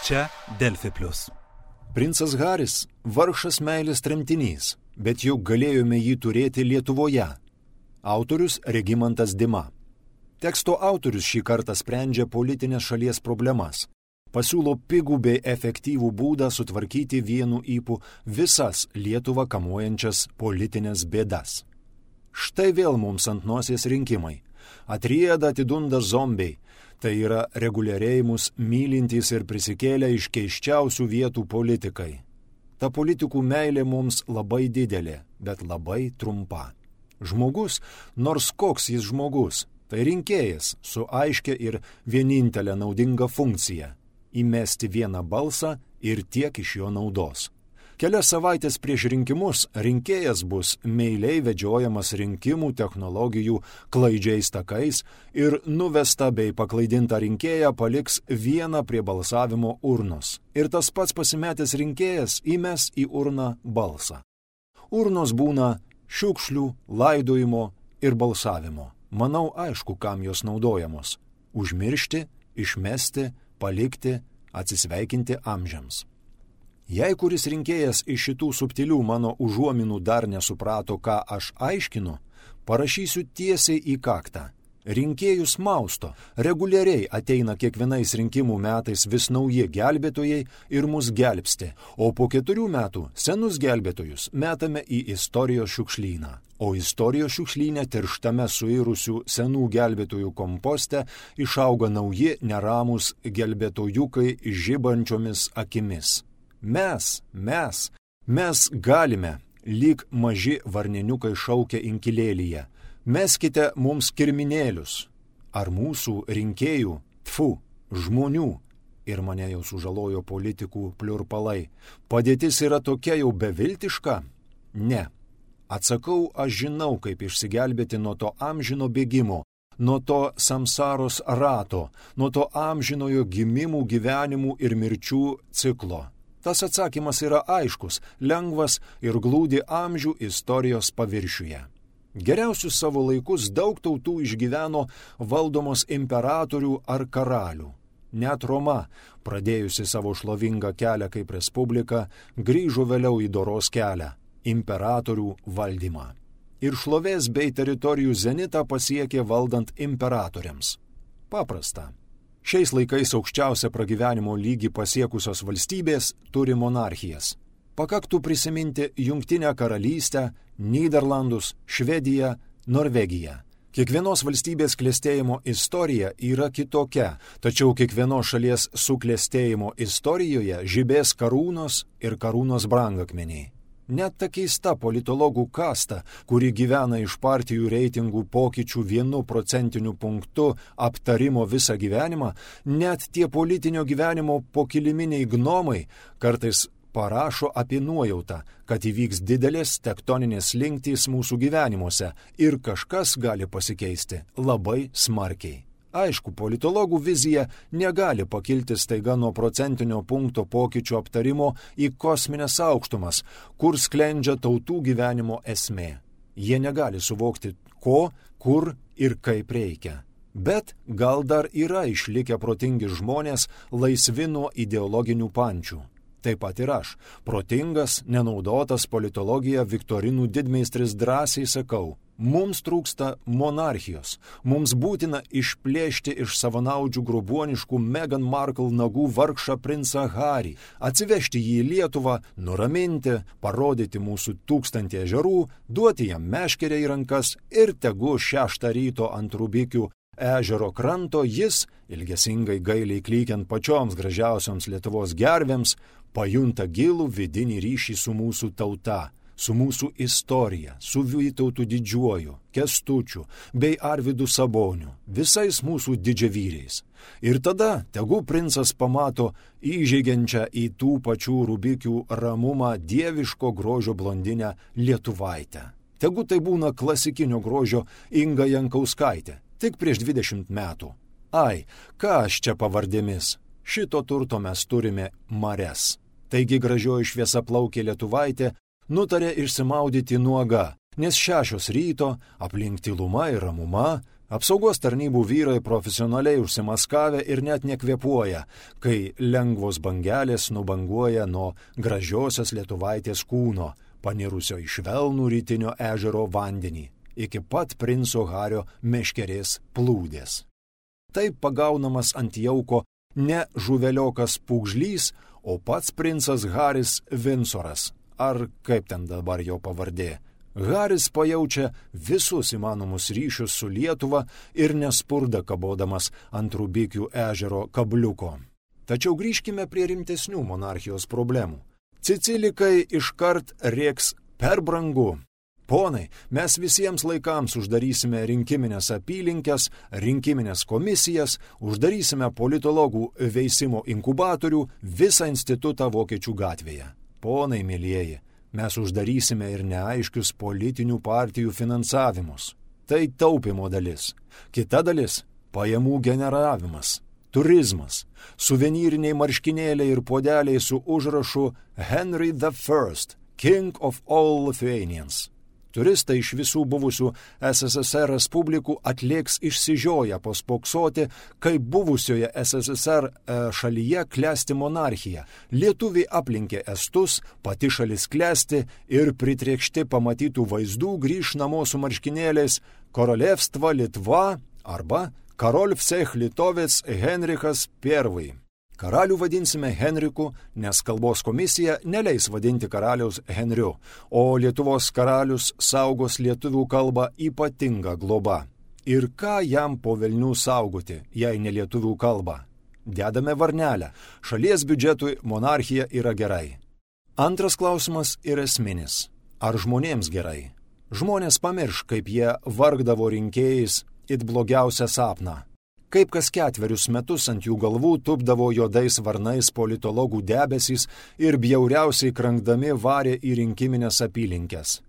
Čia Delfi Plius. Princas Haris – vargšas meilės tremtinys, bet juk galėjome jį turėti Lietuvoje. Autorius Regimantas Dima. Teksto autorius šį kartą sprendžia politinės šalies problemas. Pasiūlo pigų bei efektyvų būdą sutvarkyti vienu ypu visas Lietuvą kamuojančias politinės bėdas. Štai vėl mums ant nosies rinkimai. Atrieda atidunda zombiai. Tai yra reguliariai mus mylintys ir prisikėlę iš keiščiausių vietų politikai. Ta politikų meilė mums labai didelė, bet labai trumpa. Žmogus, nors koks jis žmogus, tai rinkėjas su aiškia ir vienintelė naudinga funkcija – įmesti vieną balsą ir tiek iš jo naudos. Kelias savaitės prieš rinkimus rinkėjas bus meiliai vedžiojamas rinkimų technologijų klaidžiais takais ir nuvesta bei paklaidinta rinkėja paliks vieną prie balsavimo urnos. Ir tas pats pasimetęs rinkėjas įmes į urną balsą. Urnos būna šiukšlių, laidojimo ir balsavimo. Manau, aišku, kam jos naudojamos. Užmiršti, išmesti, palikti, atsisveikinti amžiams. Jei kuris rinkėjas iš šitų subtilių mano užuominų dar nesuprato, ką aš aiškinu, parašysiu tiesiai į kaktą. Rinkėjus mausto, reguliariai ateina kiekvienais rinkimų metais vis nauji gelbėtojai ir mus gelbsti, o po 4 metų senus gelbėtojus metame į istorijos šiukšlyną. O istorijos šiukšlyne tirštame suirusių senų gelbėtojų komposte išauga nauji neramūs gelbėtojukai žibančiomis akimis. Mes galime, lyg maži varniniukai šaukia inkilėlyje. Meskite mums kirminėlius. Ar mūsų rinkėjų, žmonių, ir mane jau sužalojo politikų pliurpalai, padėtis yra tokia jau beviltiška? Ne. Atsakau, aš žinau, kaip išsigelbėti nuo to amžino bėgimo, nuo to samsaros rato, nuo to amžinojo gimimų, gyvenimų ir mirčių ciklo. Tas atsakymas yra aiškus, lengvas ir glūdi amžių istorijos paviršiuje. Geriausius savo laikus daug tautų išgyveno valdomos imperatorių ar karalių. Net Roma, pradėjusi savo šlovingą kelią kaip respublika, grįžo vėliau į doros kelią – imperatorių valdymą. Ir šlovės bei teritorijų zenitą pasiekė valdant imperatoriams. Paprasta. Šiais laikais aukščiausią pragyvenimo lygį pasiekusios valstybės turi monarchijas. Pakaktų prisiminti Jungtinę karalystę, Nyderlandus, Švediją, Norvegiją. Kiekvienos valstybės klestėjimo istorija yra kitokia, tačiau kiekvienos šalies suklestėjimo istorijoje žibės karūnos ir karūnos brangakmeniai. Net ta keista politologų kasta, kuri gyvena iš partijų reitingų pokyčių 1% punktu aptarimo visą gyvenimą, net tie politinio gyvenimo pokiliminiai gnomai kartais parašo apie nuojautą, kad įvyks didelės tektoninės slinktys mūsų gyvenimuose ir kažkas gali pasikeisti labai smarkiai. Aišku, politologų vizija negali pakilti staiga nuo procentinio punkto pokyčių aptarimo į kosmines aukštumas, kur sklendžia tautų gyvenimo esmė. Jie negali suvokti, ko, kur ir kaip reikia. Bet gal dar yra išlikę protingi žmonės laisvi nuo ideologinių pančių. Taip pat ir aš, protingas, nenaudotas politologija viktorinų didmeistris drąsiai sakau, mums trūksta monarchijos, mums būtina išplėšti iš savanaudžių grobuoniškų Meghan Markle nagų vargšą princą Harį, atsivežti jį į Lietuvą, nuraminti, parodyti mūsų 1000 ežerų, duoti jam meškerę į rankas ir tegu 6 ryto ant Rubikių ežero kranto jis, ilgesingai gailiai klykiant pačioms gražiausioms Lietuvos gervėms, pajunta gilų vidinį ryšį su mūsų tauta, su mūsų istorija, su Vytautu Didžiuoju, Kęstučiu bei Arvydu Saboniu, visais mūsų didžiavyriais. Ir tada tegu princas pamato įžeigiančią į tų pačių Rubikių ramumą dieviško grožio blondinę Lietuvaitę. Tegu tai būna klasikinio grožio Inga Jankauskaitė, tik prieš 20 metų. Ai, ką aš čia pavardėmis? Šito turto mes turime marias. Taigi gražioji šviesiaplaukė Lietuvaitė nutarė išsimaudyti nuoga, nes 6 ryto aplink tyluma ir ramuma, Apsaugos tarnybų vyrai profesionaliai užsimaskavę ir net nekvėpuoja, kai lengvos bangelės nubanguoja nuo gražiosios lietuvaitės kūno, panirusio į švelnų rytinio ežero vandenį, iki pat princo Hario meškerės plūdės. Taip pagaunamas ant jauko ne žuveliokas pūgžlys, o pats princas Haris Vindsoras, ar kaip ten dabar jo pavardė. Haris pajaučia visus įmanomus ryšius su Lietuva ir nespurda kabodamas ant Rubikių ežero kabliuko. Tačiau grįžkime prie rimtesnių monarchijos problemų. Cicilikai iškart rėks per brangu. Ponai, mes visiems laikams uždarysime rinkiminės apylinkės, rinkiminės komisijas, uždarysime politologų veisimo inkubatorių, visą institutą Vokiečių gatvėje. Ponai, mielieji, mes uždarysime ir neaiškius politinių partijų finansavimus. Tai taupimo dalis. Kita dalis – pajamų generavimas, turizmas, suvenyriniai marškinėliai ir puodeliai su užrašu Henry I, King of all Lithuanians. Turistai iš visų buvusių SSSR respublikų atlėks išsižioję pospoksoti, kaip buvusioje SSSR šalyje klesti monarchija. Lietuviai aplinkė estus, pati šalis klesti ir pritriekšti pamatytų vaizdų grįš namo su marškinėliais Korolevstva Litva arba Karol Vsech Litovec Henrichas I. Karalių vadinsime Henriku, nes kalbos komisija neleis vadinti karaliaus Henriu, o Lietuvos karalius saugos lietuvių kalbą ypatinga globa. Ir ką jam po velnių saugoti, jei ne lietuvių kalbą? Dedame varnelę. Šalies biudžetui monarchija yra gerai. Antras klausimas yra esminis. Ar žmonėms gerai? Žmonės pamirš, kaip jie vargdavo rinkėjais it blogiausią sapną. Kaip kas 4 metus ant jų galvų tupdavo juodais varnais politologų debesys ir bjauriausiai krankdami varė į rinkiminės apylinkės.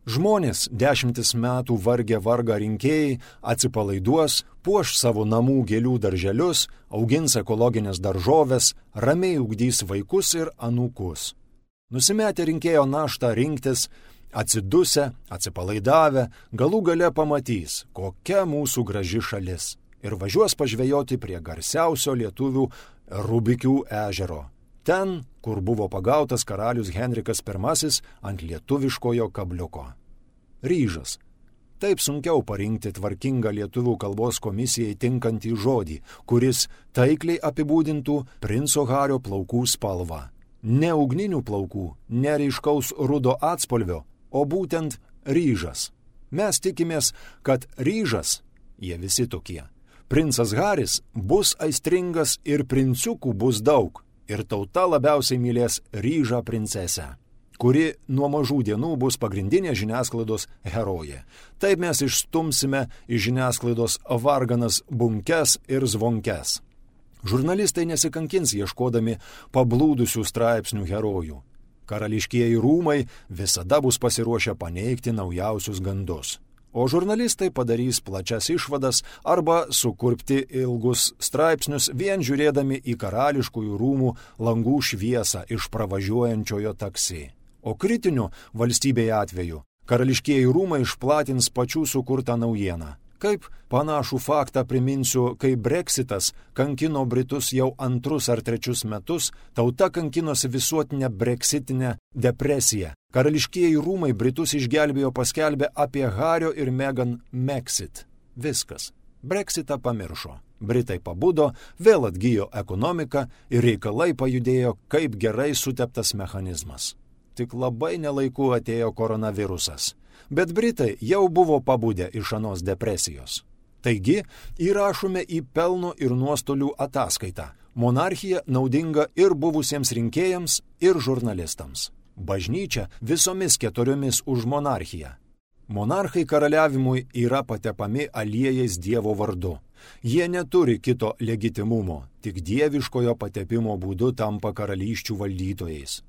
Žmonės 10 metų vargę vargą rinkėjai atsipalaiduos, puoš savo namų gėlių darželius, augins ekologinės daržoves, ramiai ugdys vaikus ir anūkus. Nusimetę rinkėjo naštą rinktis, atsidusę, atsipalaidavę, galų gale pamatys, kokia mūsų graži šalis. Ir važiuos pažvejoti prie garsiausio lietuvių Rubikių ežero. Ten, kur buvo pagautas karalius Henrikas I ant lietuviškojo kabliuko. Ryžas. Taip sunkiau parinkti tvarkingą lietuvių kalbos komisijai tinkantį žodį, kuris taikliai apibūdintų princo Hario plaukų spalvą. Ne ugninių plaukų, ne ryškaus rudo atspalvio, o būtent ryžas. Mes tikimės, kad ryžas, jie visi tokie, princas Haris bus aistringas ir princiukų bus daug, ir tauta labiausiai mylės ryžą princesę, kuri nuo mažų dienų bus pagrindinė žiniasklaidos herojė. Taip mes išstumsime iš žiniasklaidos varganas bunkes ir zvonkes. Žurnalistai nesikankins ieškodami pablūdusių straipsnių herojų. Karališkieji rūmai visada bus pasiruošę paneigti naujausius gandus. O žurnalistai padarys plačias išvadas arba sukurpti ilgus straipsnius vien žiūrėdami į karališkųjų rūmų langų šviesą iš pravažiuojančiojo taksi. O kritiniu valstybėje atveju karališkieji rūmai išplatins pačių sukurtą naujieną. Kaip panašų faktą priminsiu, kai Brexitas kankino Britus jau 2 ar 3 metus, tauta kankinosi visuotinę breksitinę depresiją. Karališkieji rūmai Britus išgelbėjo paskelbę apie Hario ir Meghan Mexit. Viskas. Brexitą pamiršo. Britai pabudo, vėl atgijo ekonomika ir reikalai pajudėjo kaip gerai suteptas mechanizmas. Tik labai nelaiku atėjo koronavirusas. Bet Britai jau buvo pabudę iš anos depresijos. Taigi, įrašome į pelno ir nuostolių ataskaitą. Monarchija naudinga ir buvusiems rinkėjams, ir žurnalistams. Bažnyčia visomis 4 už monarchiją. Monarchai karaliavimui yra patepami aliejais Dievo vardu. Jie neturi kito legitimumo, tik dieviškojo patepimo būdu tampa karalysčių valdytojais.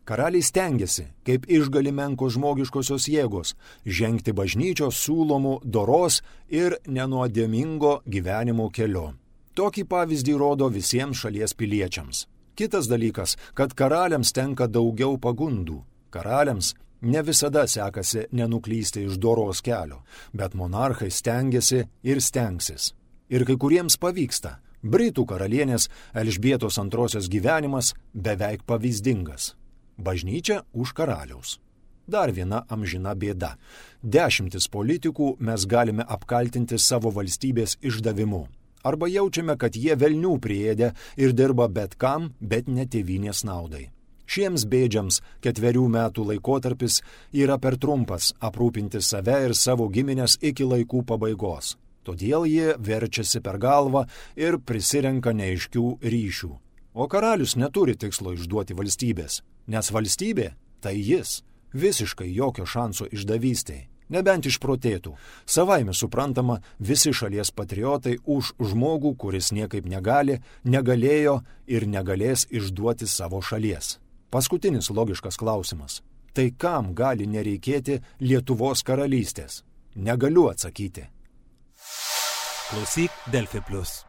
Karaliai stengiasi, kaip išgali menkos žmogiškosios jėgos, žengti bažnyčios siūlomų doros ir nenuodėmingo gyvenimo keliu. Tokį pavyzdį rodo visiems šalies piliečiams. Kitas dalykas, kad karaliams tenka daugiau pagundų. Karaliams Ne visada sekasi nenuklysti iš doros kelio, bet monarchai stengiasi ir stengsis. Ir kai kuriems pavyksta. Britų karalienės Elžbietos II gyvenimas beveik pavyzdingas. Bažnyčia už karaliaus. Dar viena amžina bėda. 10 politikų mes galime apkaltinti savo valstybės išdavimu. Arba jaučiame, kad jie velnių priėdė ir dirba bet kam, bet ne tėvynės naudai. Šiems bėdžiams 4 metų laikotarpis yra per trumpas aprūpinti save ir savo giminės iki laikų pabaigos. Todėl jie verčiasi per galvą ir prisirenka neaiškių ryšių. O karalius neturi tikslo išduoti valstybės, nes valstybė tai jis. Visiškai jokio šanso išdavystei, nebent išprotėtų. Savaime suprantama, visi šalies patriotai už žmogų, kuris niekaip negali, negalėjo ir negalės išduoti savo šalies. Paskutinis logiškas klausimas. Tai kam gali nereikėti Lietuvos karalystės? Negaliu atsakyti. Klausyk Delfi Plus.